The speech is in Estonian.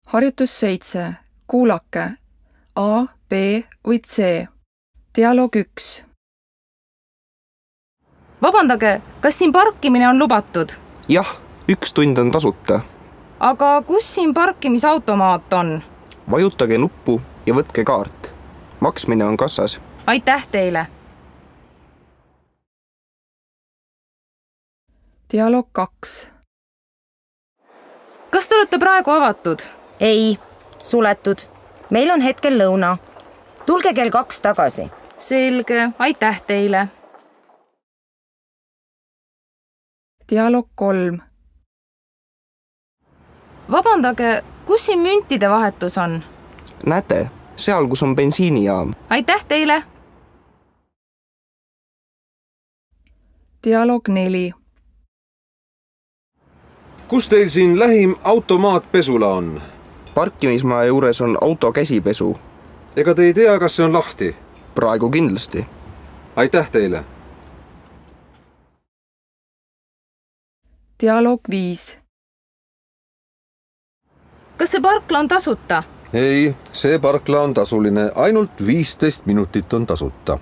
Harjutus 7. Kuulake. A, B või C. Dialoog 1. Vabandage, kas siin parkimine on lubatud? Jah, 1 tund on tasuta. Aga kus siin parkimisautomaat on? Vajutage nuppu ja võtke kaart. Maksmine on kassas. Aitäh teile! Dialoog 2. Kas te olete praegu avatud? Ei, suletud. Meil on hetkel lõuna. Tulge kell 2 tagasi. Selge, aitäh teile! Dialoog 3. Vabandage, kus siin müntide vahetus on? Näete, seal, kus on bensiinijaam. Aitäh teile! Dialoog 4. Kus teil siin lähim automaatpesula on? Parkimismaa juures on auto käsipesu. Ega te ei tea, kas see on lahti? Praegu kindlasti. Aitäh teile! Dialoog 5. Kas see parkla on tasuta? Ei, see parkla on tasuline, ainult 15 minutit on tasuta.